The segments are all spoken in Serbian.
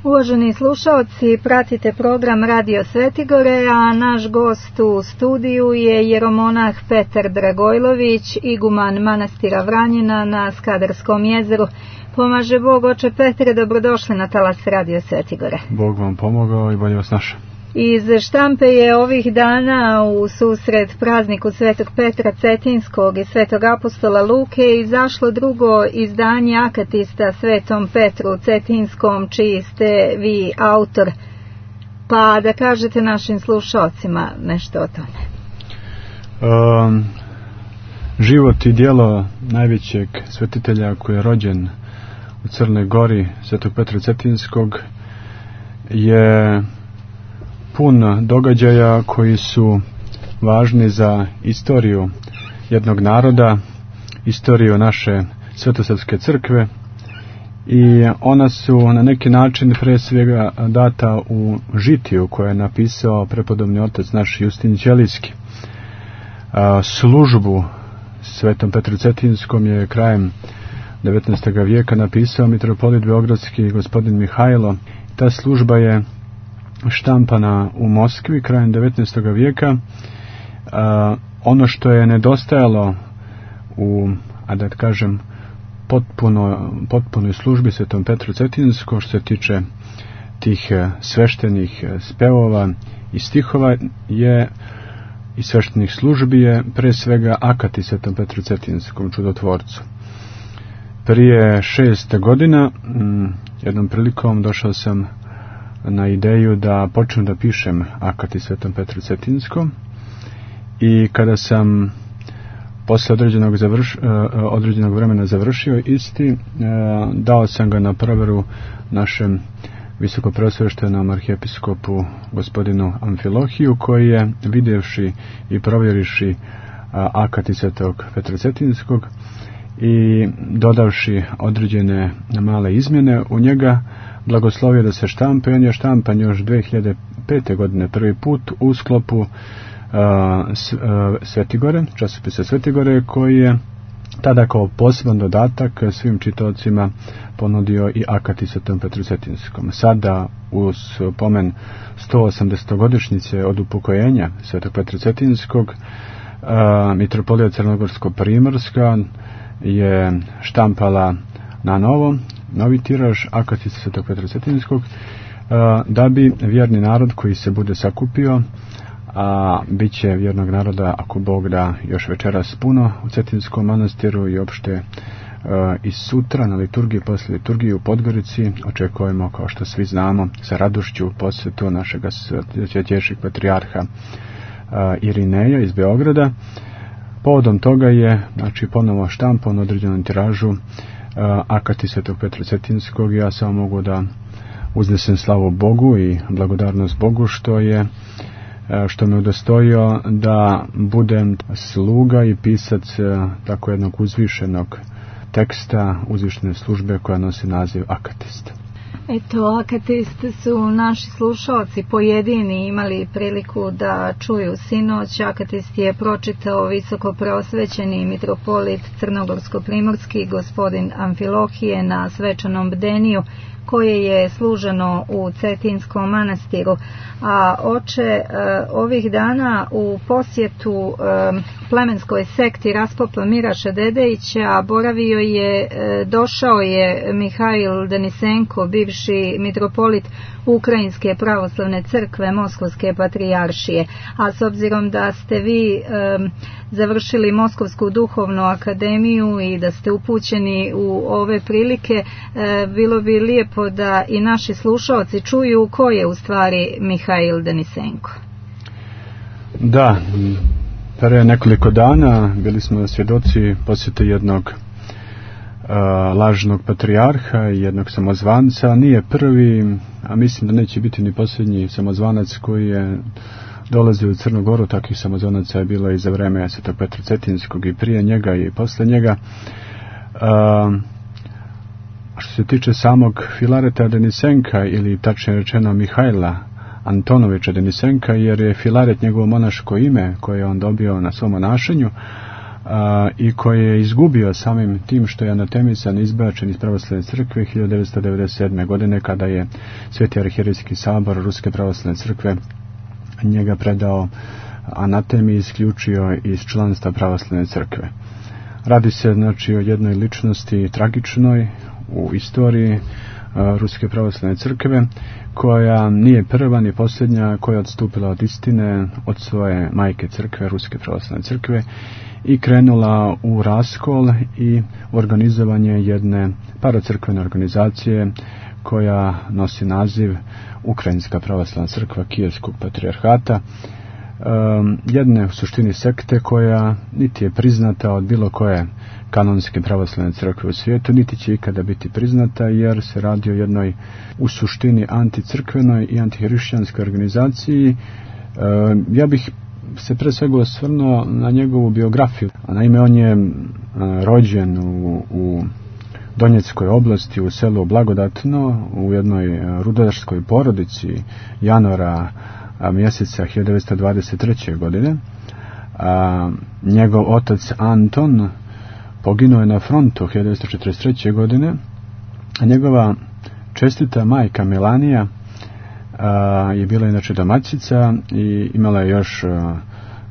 Uvaženi slušaoci, pratite program Radio Svetigore, a naš gost u studiju je jeromonah Petar Dragojlović, iguman manastira Vranjina na Skadarskom jezeru. Pomaže Bog, oče Petre, dobrodošli na talas Radio Svetigore. Bog vam pomogao i bolje vas našao. Iz štampe je ovih dana u susret prazniku Svetog Petra Cetinskog i Svetog apostola Luke izašlo drugo izdanje akatista Svetom Petru Cetinskom, čiji ste vi autor. Pa da kažete našim slušalcima nešto o tome. Život i djelo najvećeg svetitelja koji je rođen u Crnoj Gori, Svetog Petra Cetinskog, je pun događaja koji su važni za istoriju jednog naroda, istoriju naše svetosavske crkve, i ona su na neki način pre svega data u žitiju koje je napisao prepodobni otac naš Justin Ćelijski. Službu Svetom Petru Cetinskom je krajem 19. vijeka napisao mitropolit beogradski gospodin Mihajlo. Ta služba je štampana u Moskvi krajem 19. vijeka. Ono što je nedostajalo u, da kažem, potpunoj službi Svetom Petru Cetinskom, što se tiče tih sveštenih spevova i stihova i sveštenih službi, je pre svega akati Svetom Petru Cetinskom, čudotvorcu. Prije 6 godina jednom prilikom došao sam na ideju da počnem da pišem akati Svetom Petru Cetinskom, i kada sam posle određenog vremena završio isti, dao sam ga na proveru našem visokopreosveštenom arhijepiskopu gospodinu Amfilohiju, koji je, vidjevši i provjeriši akati Svetog Petra Cetinskog i dodavši određene male izmjene u njega, blagoslovio da se štampa. On je štampan još 2005. godine prvi put u sklopu Svetigore, časopisa Svetigore, koji je tada kao poseban dodatak svim čitaocima ponudio i akati Svetom Petru Cetinskom. Sada, uz pomen 180-godišnjice od upokojenja Svetog Petra Cetinskog, mitropolija Crnogorsko-Primorska je štampala na novi tiraž akati Svetog Petra Cetinskog, da bi vjerni narod koji se bude sakupio, a bit će vjernog naroda, ako Bog da, još večeras puno u Cetinskom manastiru i opšte i sutra na liturgiji, posle liturgije u Podgorici, očekujemo, kao što svi znamo, sa radošću posjetu našeg svetejšeg patrijarha Irineja iz Beograda. Povodom toga je, znači, ponovo štampan u određenom tiražu akati Svetog Petra Cetinskog. Ja samo mogu da uznesem slavu Bogu i blagodarnost Bogu što me udostojio da budem sluga i pisac tako jednog uzvišenog teksta, uzvišene službe koja nosi naziv akatist. Eto, akatist su naši slušalci pojedini imali priliku da čuju sinoć. Akatist je pročitao visoko preosvećeni mitropolit Crnogorsko-Primorski gospodin Amfilohije na svečanom bdeniju koje je služeno u Cetinskom manastiru. A oče, ovih dana u posjetu plemenskoj sekti raspopa Miraša Dedejića došao je Mihajl Denisenko, bivši mitropolit Ukrajinske pravoslavne crkve Moskovske patrijaršije. A s obzirom da ste vi završili Moskovsku duhovnu akademiju i da ste upućeni u ove prilike, bilo bi lijepo da i naši slušalci čuju ko je u stvari Mihajl Denisenko. Da, pre nekoliko dana bili smo svjedoci posjete jednog lažnog patrijarha i jednog samozvanca. Nije prvi, a mislim da neće biti ni posljednji samozvanac koji je dolazio u Crnu Goru. Takvih samozvanaca je bilo i za vreme Svetog Petra Cetinskog i prije njega i posle njega. Što se tiče samog Filareta Denisenka, ili tačnije rečeno Mihajla Antonovića Denisenka, jer je Filaret njegovo monaško ime koje je on dobio na svom monašenju, i koji je izgubio samim tim što je anatemisan, izbačen iz pravoslavne crkve 1997. godine, kada je Sveti arhijerejski sabor Ruske pravoslavne crkve njega predao anatemi i isključio iz članstva pravoslavne crkve. Radi se znači o jednoj ličnosti tragičnoj u istoriji Ruske pravoslavne crkve, koja nije prva ni posljednja koja je odstupila od istine, od svoje majke crkve, Ruske pravoslavne crkve, i krenula u raskol i organizovanje jedne paracrkvene organizacije koja nosi naziv Ukrajinska pravoslavna crkva Kijevskog patrijarhata, jedne u suštini sekte koja niti je priznata od bilo koje kanonske pravoslavne crkve u svijetu, niti će ikada biti priznata, jer se radi o jednoj u suštini anticrkvenoj i antihrišćanskoj organizaciji. Ja bih se pre svega osvrnuo na njegovu biografiju. Naime, on je rođen u Donjeckoj oblasti, u selu Blagodatno, u jednoj rudarskoj porodici januara mjeseca 1923. godine. Njegov otac Anton poginuo je na frontu 1943. godine, a njegova čestita majka Melanija je bila inače domaćica i imala je još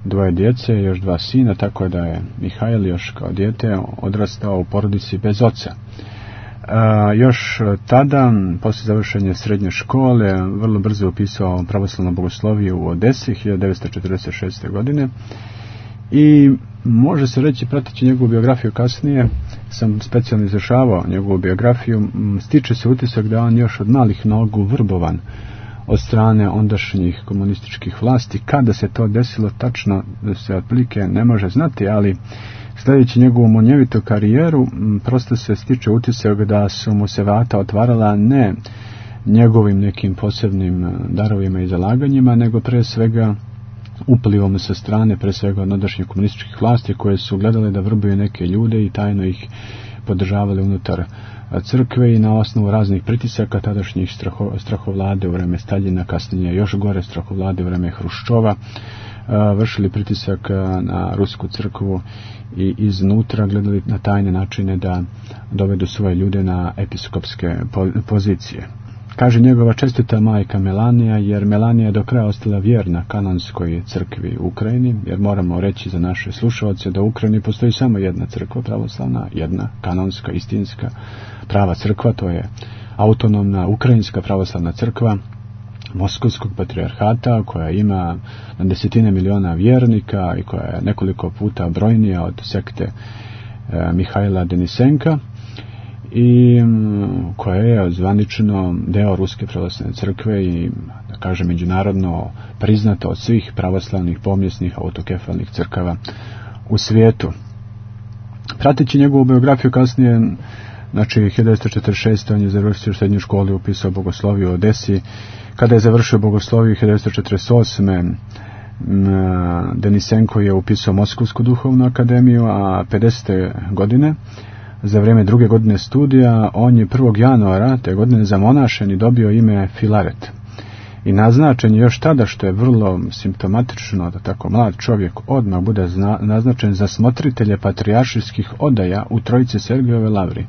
dvoje djece, još dva sina, tako da je Mihajl još kao dijete odrastao u porodici bez oca. Još tada, poslije završenja srednje škole, vrlo brzo upisao pravoslavnu bogosloviju u Odesi 1946. godine i može se reći, prateći njegovu biografiju kasnije, sam specijalno izvršavao njegovu biografiju, stiče se utisak da on još od malih nogu vrbovan od strane ondašnjih komunističkih vlasti. Kada se to desilo tačno, da se otprilike ne može znati, ali sljedeći njegovu munjevitu karijeru, prosto se stiče utisak da su mu se vrata otvarala ne njegovim nekim posebnim darovima i zalaganjima, nego pre svega uplivom sa strane, pre svega od ondašnjih komunističkih vlasti, koje su gledale da vrbuju neke ljude i tajno ih podržavali unutar crkve i na osnovu raznih pritisaka tadašnjih strahovlade u vreme Staljina, kasnije još gore strahovlade u vreme Hruščova, vršili pritisak na rusku crkvu i iznutra gledali na tajne načine da dovedu svoje ljude na episkopske pozicije. Kaže njegova čestita majka Melanija, jer Melanija je do kraja ostala vjerna kanonskoj crkvi u Ukrajini, jer moramo reći za naše slušalce da u Ukrajini postoji samo jedna crkva pravoslavna, jedna kanonska, istinska, prava crkva, to je autonomna Ukrajinska pravoslavna crkva Moskovskog patrijarhata, koja ima na desetine miliona vjernika i koja je nekoliko puta brojnija od sekte Mihajla Denisenka i koja je zvanično deo Ruske pravoslavne crkve i, da kažem, međunarodno priznata od svih pravoslavnih pomjesnih autokefalnih crkava u svijetu. Prateći njegovu biografiju kasnije, znači 1946. on je završio srednju školu i upisao bogosloviju u Odesi. Kada je završio bogosloviju 1948. Denisenko je upisao Moskovsku duhovnu akademiju, a 50. godine, za vrijeme druge godine studija, on je 1. januara te godine zamonašen i dobio ime Filaret. I naznačen je još tada, što je vrlo simptomatično da tako mlad čovjek odmah bude naznačen za smotritelje patrijaršijskih odaja u Trojice Sergijeve lavri.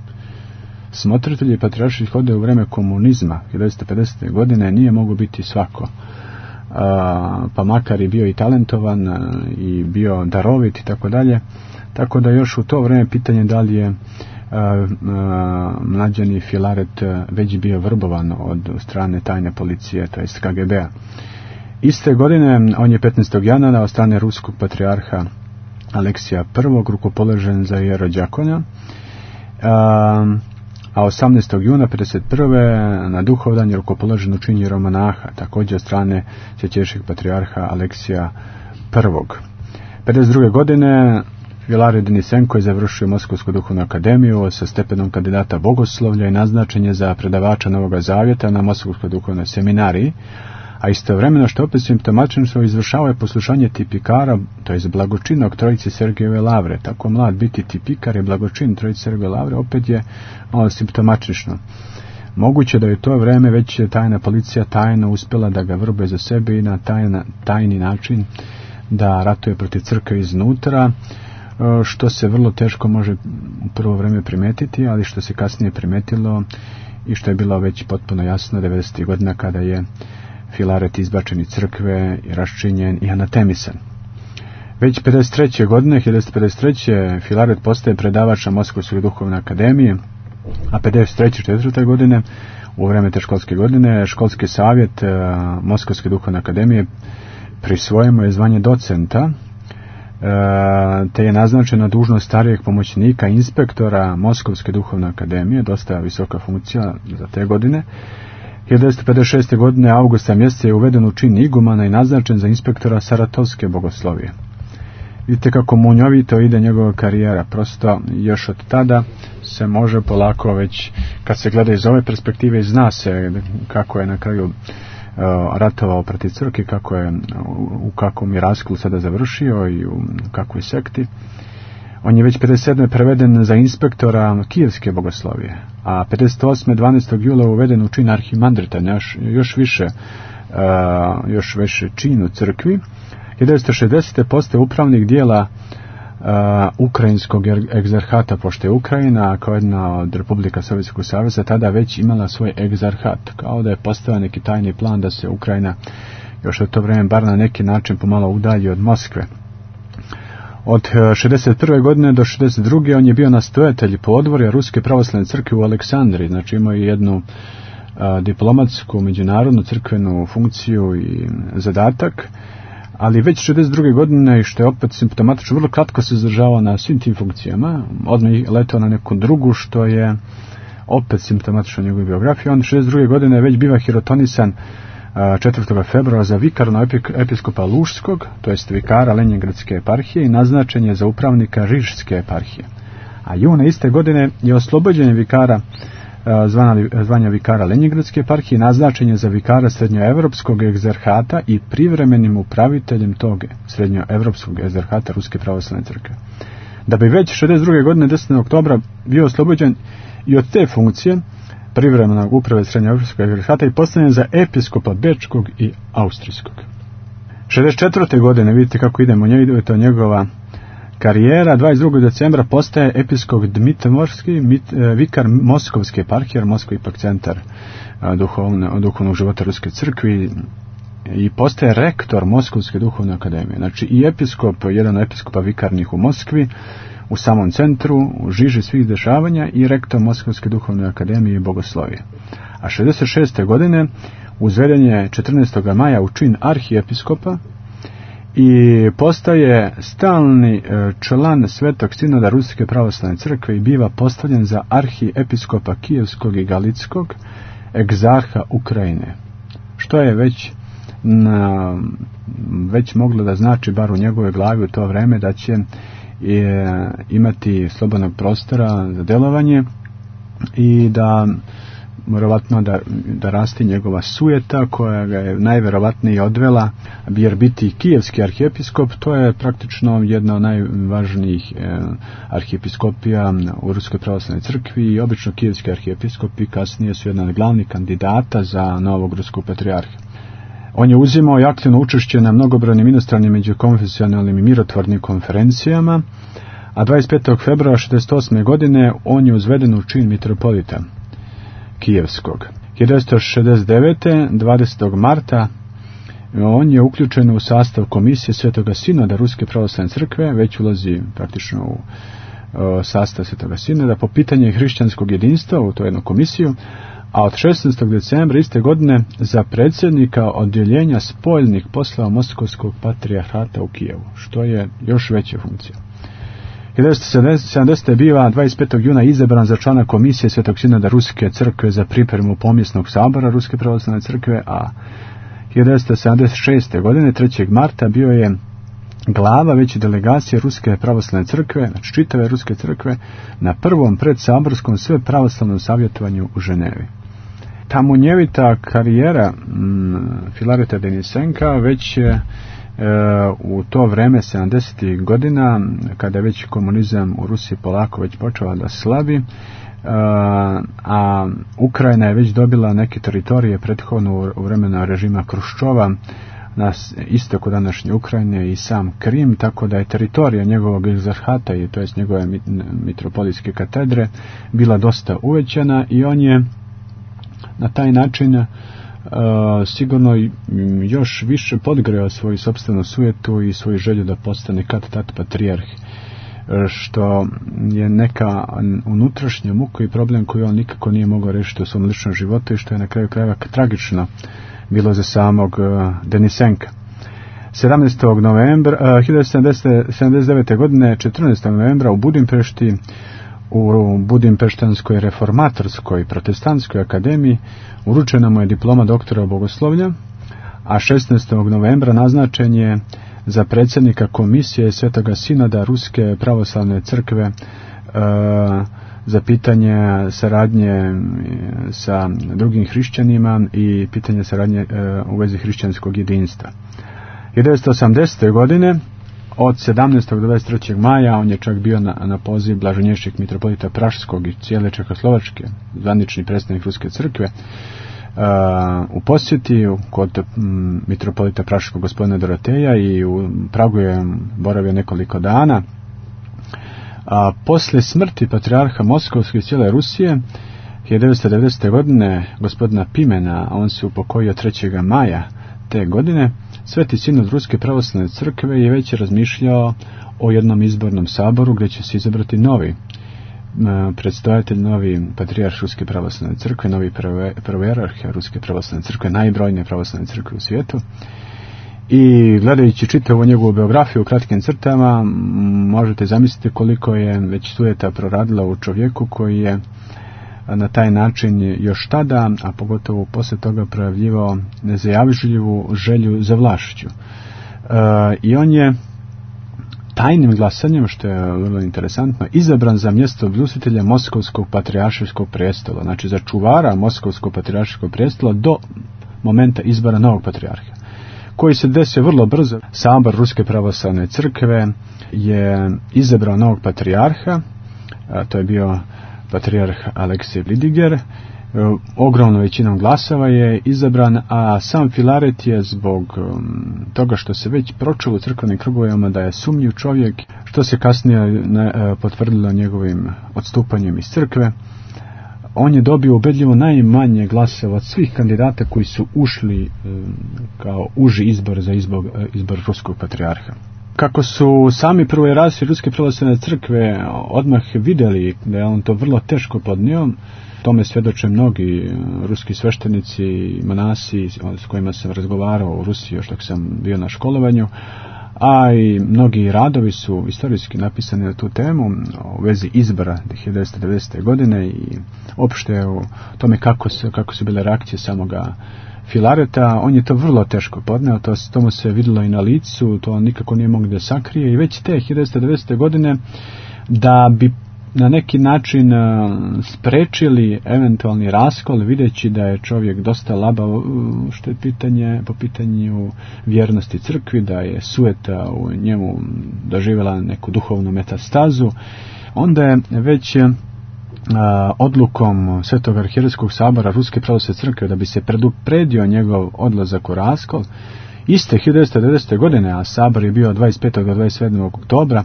Smotritelji patrijaršijskih odaja u vrijeme komunizma 1950. godine nije mogu biti svako, pa makar i bio i talentovan i bio darovit i tako dalje. Tako da još u to vrijeme pitanje da li je mlađani Filaret već bio vrbovan od strane tajne policije, to jest KGB-a. Iste godine on je 15. januara od strane ruskog patrijarha Aleksija I rukopoložen za hierodjakona, a 18. juna 1951. na duhovdan je rukopoložen u čin hieromanaha, također od strane Čečeškog patrijarha Aleksija I. 1952. godine Filaret Denisenko je završio Moskovsku duhovnu akademiju sa stepenom kandidata bogoslovlja i naznačen je za predavača Novoga Zavjeta na Moskovskoj duhovnoj seminariji, a istovremeno, što opet simptomatično, izvršavao je poslušanje tipikara, to je blagočinog Trojice Sergijeve lavre. Tako mlad biti tipikar i blagočin Trojice Sergijeve lavre opet je malo simptomatično. Moguće da je to vrijeme već tajna policija tajno uspjela da ga vrbe za sebe i na tajni način da ratuje protiv crkve iznutra, što se vrlo teško može u prvo vreme primetiti, ali što se kasnije primetilo i što je bilo već potpuno jasno 90. godina kada je Filaret izbačen iz crkve i raščinjen i anatemisan. Već 1953. godine, 1953. Filaret postaje predavač na Moskovskoj duhovnoj akademiji, a 1953. 4. godine, u vreme te školske godine, školski savjet Moskovske duhovne akademije prisvojio mu je zvanje docenta, te je naznačena dužnost starijeg pomoćnika inspektora Moskovske duhovne akademije, dosta visoka funkcija za te godine. 1956. godine avgusta mjeseca je uveden u čin igumana i naznačen za inspektora Saratovske bogoslovije. Vidite kako munjovito ide njegova karijera, prosto još od tada se može polako već, kad se gleda iz ove perspektive, zna se kako je na kraju ratovao protiv crkve, kako je, u kakvom je raskolu sada završio i u kakvoj sekti. On je već 57. preveden za inspektora Kijevske bogoslovije, a 58. 12. jula uveden u čin arhimandrita, još više čin u crkvi. 1960. postaje upravnik dijela Ukrajinskog egzarhata, pošto je Ukrajina kao jedna od Republika Sovjetskog saveza tada već imala svoj egzarhat, kao da je postavio neki tajni plan da se Ukrajina još od to vreme bar na neki način pomalo udalji od Moskve. Od 61. godine do 62. on je bio nastojatelj podvorja Ruske pravoslavne crkve u Aleksandriji, znači imao je jednu diplomatsku, međunarodnu crkvenu funkciju i zadatak, ali već 62. godine, i što je opet simptomatično, vrlo kratko se zadržavao na svim tim funkcijama, odmah letao na neku drugu, što je opet simptomatično njegove biografije. On 62. godine već biva hirotonisan 4. februara za vikarnog episkopa Lužskog, to jest vikara Lenjingradske eparhije, i naznačen je za upravnika Rižske eparhije. A juna iste godine je oslobođen vikara zvanja vikara Lenjingradske eparhije, naznačen je za vikara srednjoevropskog egzarhata i privremenim upraviteljem tog srednjoevropskog egzarhata Ruske pravoslavne crkve. Da bi već 62. godine 10. oktobra bio oslobođen i od te funkcije privremenog uprave srednjoevropskog egzarhata i postavljen za episkopa Bečkog i Austrijskog. 64. godine, vidite kako idemo, to njegova karijera. 22. decembra postaje episkop Dmitrovski, vikar Moskovske eparhije, jer Moskva je ipak centar duhovnog života Ruske crkvi, i postaje rektor Moskovske duhovne akademije. Znači i episkop, jedan od episkopa vikarnih u Moskvi, u samom centru, u žiži svih dešavanja, i rektor Moskovske duhovne akademije i bogoslovije. A 66. godine uzveden je 14. maja u čin arhiepiskopa i postaje stalni član Svetog sinoda Ruske pravoslavne crkve i biva postavljen za arhiepiskopa Kijevskog i Galitskog, egzarha Ukrajine, što je već moglo da znači, bar u njegove glavi u to vreme, da će imati slobodnog prostora za delovanje i da vjerovatno da rasti njegova sujeta koja ga je najvjerovatnije odvela, jer biti kijevski arhijepiskop, to je praktično jedna od najvažnijih arhijepiskopija u Ruskoj pravoslavnoj crkvi, i obično kijevski arhijepiskopi kasnije su jedan od glavnih kandidata za novog ruskog patrijarha. On je uzimao i aktivno učešće na mnogobrojnim inostranim međukonfesionalnim i mirotvornim konferencijama, a 25. februara 1968. godine on je uzveden u čin mitropolita Kijevskog. 1969. 20. marta on je uključen u sastav komisije Svetoga sinoda Ruske pravoslavne crkve, već ulazi praktično u sastav Svetoga sinoda po pitanje hrišćanskog jedinstva u tu jednu komisiju, a od 16. decembra iste godine za predsjednika odjeljenja spoljnih poslova Moskovskog patrijarhata u Kijevu, što je još veća funkcija. 1970. biva 25. juna izabran za člana komisije Svetog sinoda Ruske crkve za pripremu pomjesnog sabora Ruske pravoslavne crkve, a 1976. godine 3. marta bio je glava veće delegacije Ruske pravoslavne crkve, znači čitave Ruske crkve, na prvom predsaborskom svepravoslavnom savjetovanju u Ženevi. Ta munjevita karijera Filareta Denisenka već u to vreme 70. godina, kada je već komunizam u Rusiji polako već počeo da slabi, a Ukrajina je već dobila neke teritorije prethodno u vremenu režima Kruščova na istoku današnje Ukrajine i sam Krim, tako da je teritorija njegovog egzarhata, to jest njegove mitropolitske katedre, bila dosta uvećana i on je na taj način sigurno još više podgreo svoju sopstvenu sujetu i svoju želju da postane kad-tad patrijarh, što je neka unutrašnja muka i problem koji on nikako nije mogao rešiti u svom ličnom životu i što je na kraju krajeva tragično bilo za samog Denisenka. 17. novembra 1979. godine 14. novembra u Budimpešti, u Budimpeštanskoj reformatorskoj protestantskoj akademiji uručena mu je diploma doktora bogoslovlja, a 16. novembra naznačen je za predsjednika komisije Svetoga sinoda Ruske pravoslavne crkve za pitanje saradnje sa drugim hrišćanima i pitanje saradnje u vezi hrišćanskog jedinstva. 1980. godine od 17. do 23. maja on je čak bio na poziv blaženješćeg mitropolita Praškog i cijele Čehoslovačke, zvanični predstavnik Ruske crkve, u posjeti kod mitropolita Praškog gospodina Doroteja i u Pragu je boravio nekoliko dana. Posle smrti patrijarha Moskovske i cijele Rusije 1990. godine gospodina Pimena, on se upokojio 3. maja te godine, Sveti sinod Ruske pravoslavne crkve je već razmišljao o jednom izbornom saboru gdje će se izabrati novi predstojatelj, novi patrijarh Ruske pravoslavne crkve, novi prvojerarh Ruske pravoslavne crkve, najbrojnije pravoslavne crkve u svijetu. I gledajući čitavu njegovu biografiju u kratkim crtama, možete zamisliti koliko je već sujeta proradila u čovjeku koji je na taj način još tada, a pogotovo poslije toga, projavljivao nezajažljivu želju za vlašću. I on je tajnim glasanjem, što je vrlo interesantno, izabran za mjesto bljustavitelja Moskovskog patrijaršijskog prestola, znači za čuvara Moskovskog patrijaršijskog prestola do momenta izbora novog patrijarha, koji se desio vrlo brzo. Sabor Ruske pravoslavne crkve je izabrao novog patrijarha, to je bio patrijarh Aleksej Vidiger, ogromnom većinom glasova je izabran, a sam Filaret je zbog toga što se već pročulo u crkvenim krugovima da je sumnjiv čovjek, što se kasnije potvrdilo njegovim odstupanjem iz crkve, on je dobio ubedljivo najmanje glasova od svih kandidata koji su ušli kao uži izbor za izbor ruskog patrijarha. Kako su sami prvojerarsi Ruske pravoslavne crkve odmah vidjeli da je on to vrlo teško podnio, tome svjedoče mnogi ruski sveštenici i monasi s kojima sam razgovarao u Rusiji još dok sam bio na školovanju, a i mnogi radovi su istorijski napisani na tu temu u vezi izbora 1990. godine i opšte u tome kako su bile reakcije samoga Filareta. On je to vrlo teško podneo, to mu se vidjelo i na licu, to nikako nije moglo da sakrije, i već te 1990. godine, da bi na neki način sprečili eventualni raskol, videći da je čovjek dosta labav što je po pitanju vjernosti crkvi, da je sujeta u njemu doživjela neku duhovnu metastazu, onda je već odlukom Svetog arhijerejskog sabora Ruske pravoslavne crkve, da bi se predupredio njegov odlazak u raskol, iste 1990. godine, a sabor je bio 25. do 27. oktobra,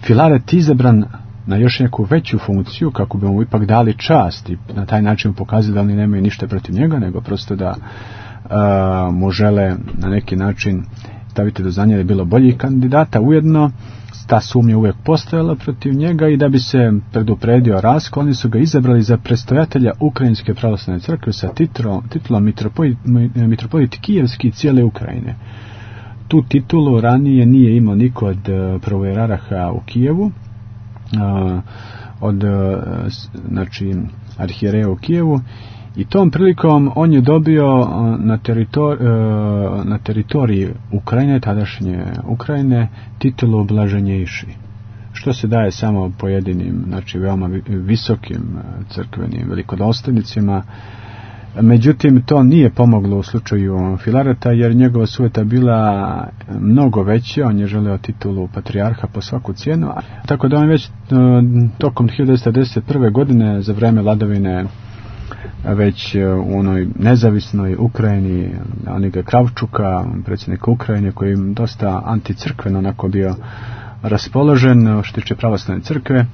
Filaret izabran na još neku veću funkciju, kako bi mu ipak dali čast i na taj način pokazali da oni nemaju ništa protiv njega, nego prosto da mu žele na neki način staviti do znanja da je bilo boljih kandidata. Ujedno ta sumnja uvijek postojala protiv njega, i da bi se predupredio raskol, oni su ga izabrali za predstojatelja Ukrajinske pravoslavne crkve sa titulom mitropolit Kijevski cijele Ukrajine. Tu titulu ranije nije imao niko od prvojeraraha u Kijevu, od arhijereja u Kijevu, i tom prilikom on je dobio na teritoriji Ukrajine, tadašnje Ukrajine, titulu blaženjejši, što se daje samo pojedinim, veoma visokim crkvenim velikodostojnicima. Međutim, to nije pomoglo u slučaju Filareta, jer njegova sujeta bila mnogo veća, on je želeo titulu patrijarha po svaku cijenu, tako da on već tokom 1991. godine, za vreme vladavine već u onoj nezavisnoj Ukrajini, Aniga Kravčuka, predsjednika Ukrajine, koji je dosta anticrkveno onako bio raspoložen što tiče pravoslavne crkve,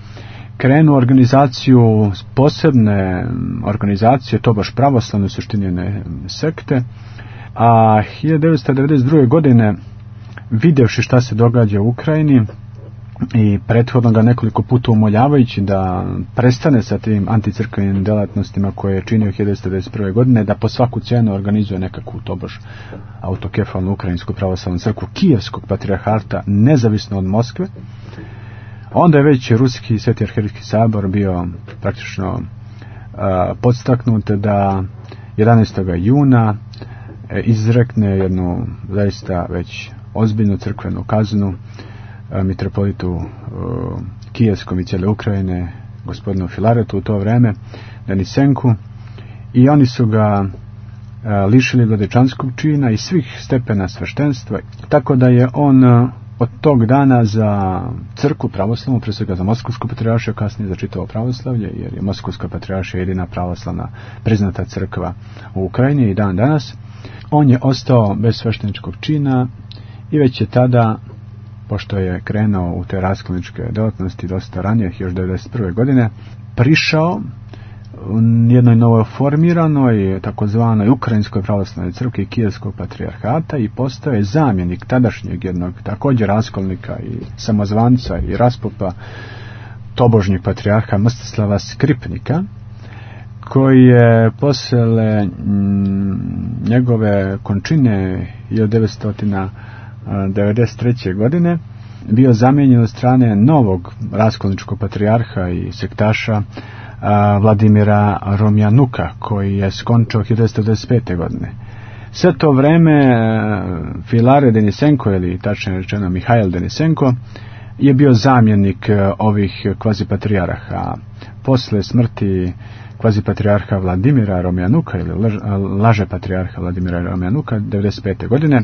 krenuo organizaciju, posebne organizacije, to baš pravoslavne, suštinjene sekte, a 1992. godine, vidjevši šta se događa u Ukrajini i prethodno ga nekoliko puta umoljavajući da prestane sa tim anticrkvenim delatnostima koje je činio 1991. godine, da po svaku cijenu organizuje nekakvu tobož autokefalnu ukrajinsku pravoslavnu crkvu Kijevskog patrijarhata nezavisno od Moskve, onda je već Ruski Sveti arhijerejski sabor bio praktično podstaknut da 11. juna izrekne jednu zaista već ozbiljnu crkvenu kaznu mitropolitu Kijevskom i cijele Ukrajine, gospodinu Filaretu u to vrijeme, Denisenku, i oni su ga lišili vladečanskog čina i svih stepena sveštenstva, tako da je on od tog dana za crkvu pravoslavnu, prije svega za Moskovsku patrijaršiju, kasnije za čitavo pravoslavlje, jer je Moskovska patrijaršija jedina pravoslavna priznata crkva u Ukrajini i dan danas, on je ostao bez svešteničkog čina i već je tada, pošto je krenuo u te raskolničke djelatnosti dosta ranije, još 1991. godine, prišao u jednoj novoformiranoj takozvanoj Ukrajinskoj pravoslavnoj crkvi Kijevskog patrijarhata i postao je zamjenik tadašnjeg jednog također raskolnika i samozvanca i raspopa tobožnjeg patrijarha Mstislava Skripnika, koji je posle njegove končine 1993. godine bio zamijenjen od strane novog raskolničkog patrijarha i sektaša Vladimira Romjanuka, koji je skončao 1995. godine. Sve to vreme Filare Denisenko, ili tačnije rečeno Mihajl Denisenko, je bio zamjenik ovih kvazipatrijarha. Posle smrti kvazipatrijarha Vladimira Romjanuka ili laže patrijarha Vladimira Romjanuka 1995. godine,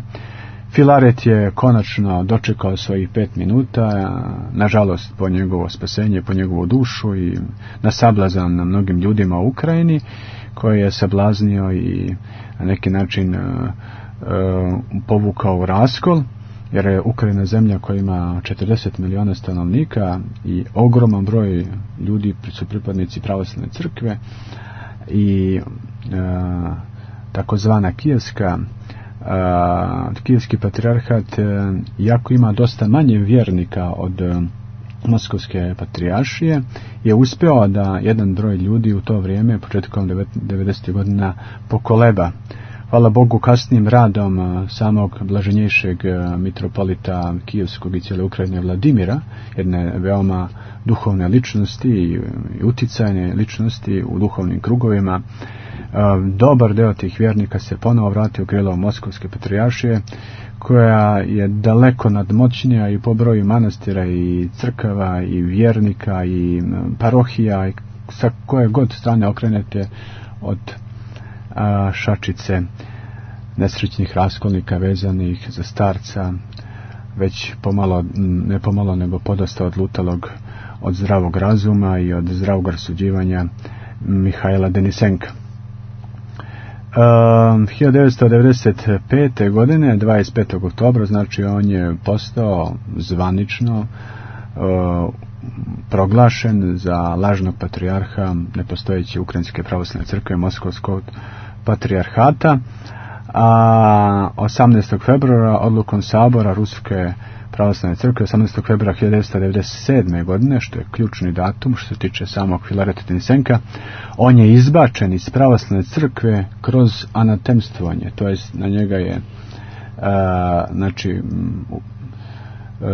Filaret je konačno dočekao svojih 5 minuta, nažalost po njegovo spasenje, po njegovu dušu i na sablazan na mnogim ljudima u Ukrajini, koji je sablaznio i na neki način povukao u raskol, jer je Ukrajina zemlja koja ima 40 miliona stanovnika i ogroman broj ljudi su pripadnici pravoslavne crkve i takozvana Kijevski patrijarhat, iako ima dosta manje vjernika od Moskovske patrijaršije, je uspio da jedan broj ljudi u to vrijeme, početkom 90. godina, pokoleba. Hvala Bogu, kasnijim radom samog blaženjejšeg mitropolita Kijevskog i cijele Ukrajine Vladimira, jedne veoma duhovne ličnosti i uticajne ličnosti u duhovnim krugovima, dobar deo tih vjernika se ponovo vratio u krilo Moskovske patrijaršije, koja je daleko nadmoćnija i po broju manastira i crkava i vjernika i parohija i sa koje god strane okrenete od šačice nesrećnih raskolnika vezanih za starca, već pomalo, ne pomalo nego podosta odlutalog od zdravog razuma i od zdravog rasuđivanja Mihajla Denisenka. 1995. godine 25. oktobra, znači on je postao zvanično proglašen za lažnog patrijarha nepostojeće Ukrajinske pravoslavne crkve Moskovskog patrijarhata, a 18. februara odlukom sabora Ruske pravoslavne crkve 18. februara 1997. godine, što je ključni datum što se tiče samog Filareta Denisenka, on je izbačen iz pravoslavne crkve kroz anatemstvovanje, to jest na njega je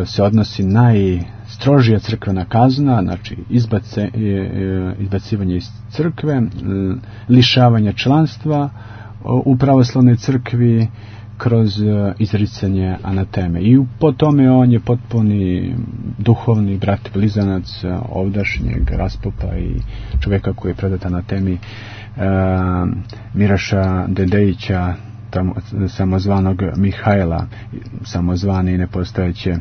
se odnosi najstrožija crkvena kazna, znači izbacivanje iz crkve, lišavanje članstva u pravoslavnoj crkvi kroz izricanje anateme. I po tome on je potpuni duhovni brat blizanac ovdašnjeg raspopa i čovjeka koji je predat anatemi Miraša Dedejića, samozvanog Mihajla, samozvane i nepostojeće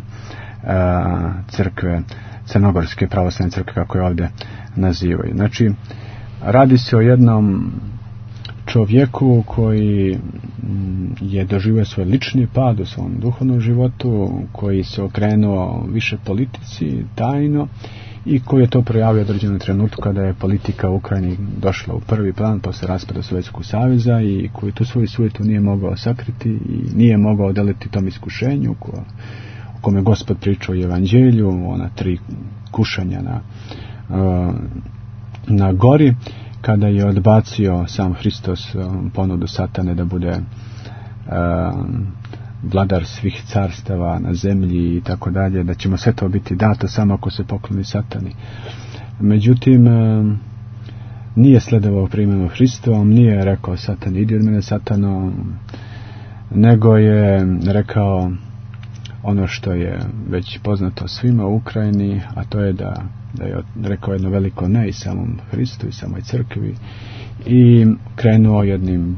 crkve, crnogorske pravoslavne crkve, kako je ovdje nazivaju. Znači, radi se o jednom čovjeku koji je doživio svoj lični pad u svom duhovnom životu, koji se okrenuo više politici tajno i koji je to projavio u određenom trenutku kada je politika u Ukrajini došla u prvi plan posle raspada Sovjetskog saveza i koji tu svoju sujetu nije mogao sakriti i nije mogao odeliti tom iskušenju o kome Gospod pričao u Evanđelju, ona 3 kušanja na gori, kada je odbacio sam Hristos ponudu Satane da bude vladar svih carstava na zemlji i tako dalje, da ćemo sve to biti dato samo ako se pokloni Satani. Međutim, nije sledovao primjenu Hristovom, nije rekao Satan, idi od mene Satano, nego je rekao ono što je već poznato svima u Ukrajini, a to je da je rekao jedno veliko ne i samom Hristu i samoj crkvi i krenuo jednim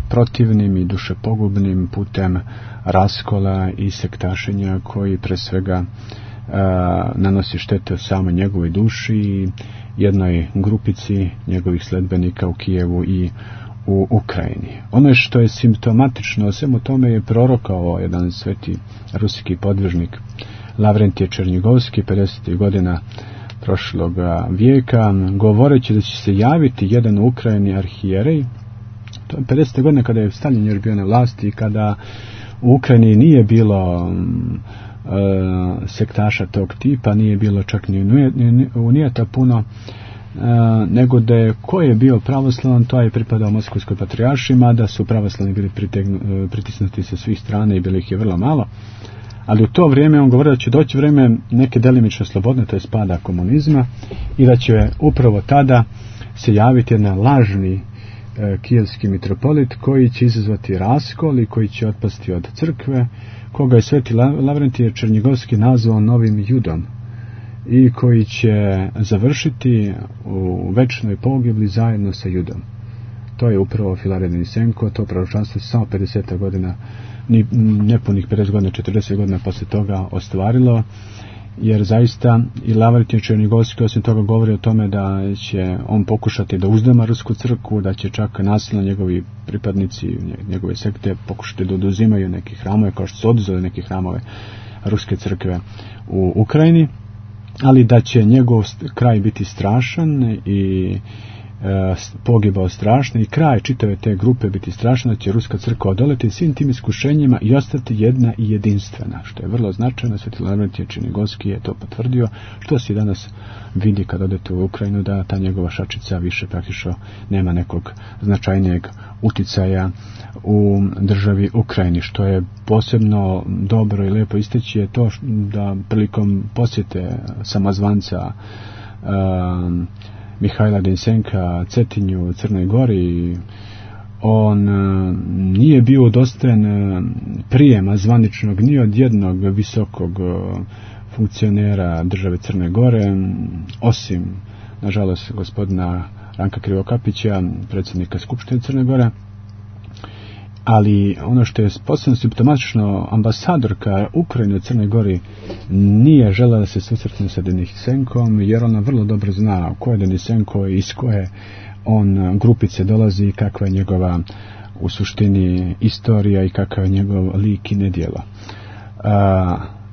protivnim i dušepogubnim putem raskola i sektašenja koji pre svega nanosi štete u samoj njegovoj duši i jednoj grupici njegovih sledbenika u Kijevu i u Ukrajini. Ono što je simptomatično o svemu tome je prorokao jedan sveti ruski podvižnik Lavrentije Černjigovski 50. godina prošlog vijeka, govoreći da će se javiti jedan u Ukrajini arhijerej. To je 50. godine kada je Stalin još bio na vlasti i kada u Ukrajini nije bilo sektaša tog tipa, nije bilo čak ni unijeta puno, nego da je ko je bio pravoslavan, to je pripadao Moskovskoj patrijaršiji, mada su pravoslavni bili pritisnuti sa svih strana i bilo ih je vrlo malo. Ali u to vrijeme on govorio da će doći vrijeme neke delimično slobodne, to je pada komunizma, i da će upravo tada se javiti jedan lažni kijevski mitropolit koji će izazvati raskol i koji će otpasti od crkve, koga je sveti Lavrentije Černjigovski nazvao novim Judom i koji će završiti u večnoj pogibli zajedno sa Judom. To je upravo Filaret Denisenko, to proročanstvo se samo 50 godina, nepunih 50 godina, 40 godina poslije toga ostvarilo, jer zaista i Lavrentije Černjigovski osim toga govori o tome da će on pokušati da uzdama rusku crkvu, da će čak nasilno njegovi pripadnici, njegove sekte pokušati da oduzimaju neke hramove, kao što su oduzeli neke hramove ruske crkve u Ukrajini, ali da će njegov kraj biti strašan i pogibao strašno i kraj čitave te grupe biti strašno, da će ruska crkva odoleti svim tim iskušenjima i ostati jedna i jedinstvena, što je vrlo značajno. Sveti Lavrentije Černjigovski je to potvrdio, što se danas vidi kad odete u Ukrajinu, da ta njegova šačica više praktično nema nekog značajnijeg uticaja u državi Ukrajini. Što je posebno dobro i lijepo isteći je to da prilikom posjete samozvanca Mihajla Denisenka Cetinju, Crnoj Gori, on nije bio udostojen prijema zvaničnog ni od jednog visokog funkcionera države Crne Gore, osim, nažalost, gospodina Ranka Krivokapića, predsjednika Skupštine Crne Gore. Ali ono što je posebno simptomatično, ambasadorka Ukrajine u Crnoj Gori nije željela da se susretne sa Denisenkom, jer ona vrlo dobro zna ko je Denisenko i iz koje on grupice dolazi, kakva je njegova u suštini istorija i kakav je njegov lik i nedjelo.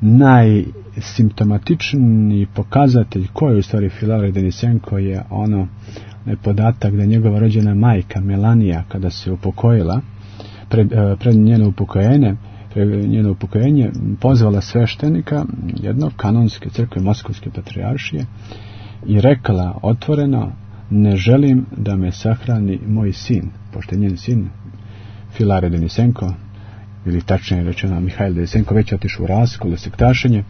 Najsimptomatičniji pokazatelj ko je u stvari Filaret Denisenko je podatak da njegova rođena majka Melanija, kada se upokojila, pred njeno upokojenje pozvala sveštenika jednog kanonske crkve Moskovske patrijaršije i rekla otvoreno: ne želim da me sahrani moj sin, pošto je njen sin Filaret Denisenko, ili tačnije rečeno Mihajl Denisenko, već otišao u raskol, u sektašenje.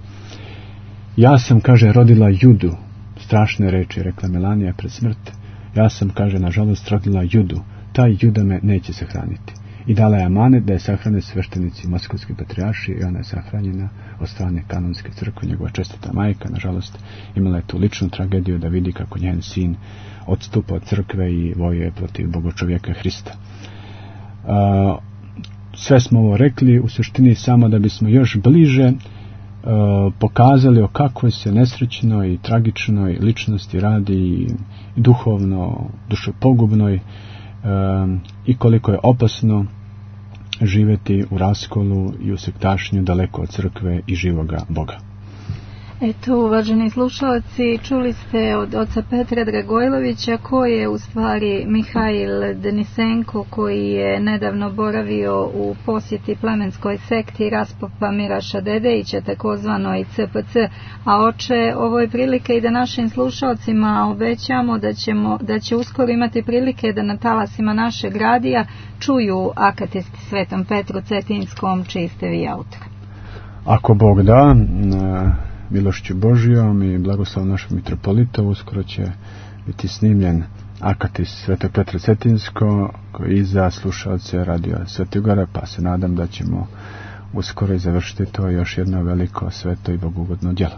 Ja sam, kaže, rodila Judu, strašne reči rekla Melanija pred smrt. Ja sam, kaže, nažalost rodila Judu, taj Juda me neće sahraniti. I dala je amanet da je sahrane sveštenici Moskovske patrijaršije i ona je sahranjena od strane kanonske crkve. Njegova čestita majka, nažalost, imala je tu ličnu tragediju da vidi kako njen sin odstupa od crkve i vojuje protiv bogočovjeka Hrista. Sve smo ovo rekli u suštini samo da bismo još bliže pokazali o kakvoj se nesrećnoj i tragičnoj ličnosti radi, i duhovno, dušopogubnoj, i koliko je opasno živjeti u raskolu i u sektašnju daleko od crkve i živoga Boga. Eto, uvaženi slušalci, čuli ste od oca Petra Dragojlovića, koji je u stvari Mihajl Denisenko, koji je nedavno boravio u posjeti plemenskoj sekti Raspopa Miraša Dedejića, takozvanoj CPC, a oče, ovo je prilika i da našim slušalcima obećamo da će uskoro imati prilike da na talasima našeg radija čuju akatisti Svetom Petru Cetinskom, čiji ste vi autor. Ako Bog da, milošću Božijom i blagoslovom našeg mitropolita, uskoro će biti snimljen akatist Svetog Petra Cetinsko i za slušalce radio Svetogora, pa se nadam da ćemo uskoro i završiti to još jedno veliko, sveto i bogugodno djelo.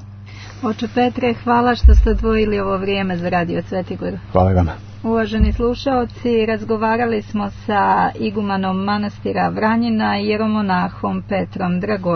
Oče Petre, hvala što ste odvojili ovo vrijeme za radio Svetigor. Hvala vama. Uvaženi slušaoci, razgovarali smo sa igumanom manastira Vranjina, jeromonahom Petrom Dragojlovićem.